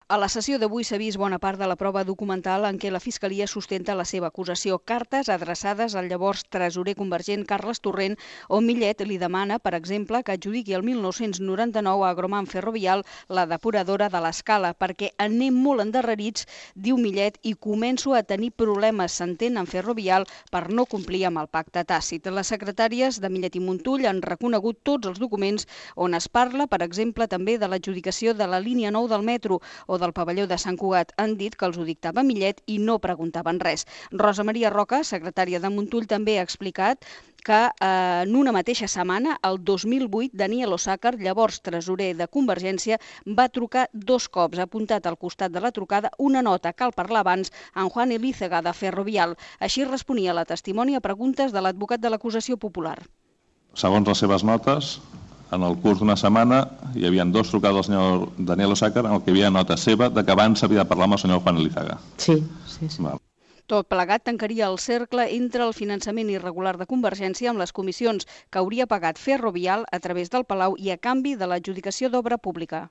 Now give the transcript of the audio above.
A la sessió d'avui s'ha vist bona part de la prova documental en què la Fiscalia sustenta la seva acusació. Cartes adreçades al llavors tresorer convergent Carles Torrent, on Millet li demana, per exemple, que adjudiqui el 1999 a Agroman Ferrovial la depuradora de l'Escala, perquè anem molt endarrerits, diu Millet, i començo a tenir problemes, s'entén, en Ferrovial per no complir amb el pacte tàcit. Les secretàries de Millet i Montull han reconegut tots els documents on es parla, per exemple, també de l'adjudicació de la línia 9 del metro o del pavelló de Sant Cugat. Han dit que els ho dictava Millet i no preguntaven res. Rosa Maria Roca, secretària de Montull, també ha explicat que en una mateixa setmana, el 2008, Daniel Osàcar, llavors tresorer de Convergència, va trucar 2 cops. Ha apuntat al costat de la trucada una nota, cal parlar abans, en Juan Elízaga de Ferrovial. Així responia la testimoni a preguntes de l'advocat de l'acusació popular. Segons les seves notes, en el curs d'una setmana hi havia 2 trucades al senyor Daniel Osàcar en què hi havia nota seva de que abans s'havia de parlar amb el senyor Juan Elízaga. Sí. Val. Tot plegat tancaria el cercle entre el finançament irregular de Convergència amb les comissions que hauria pagat Ferrovial a través del Palau i a canvi de l'adjudicació d'obra pública.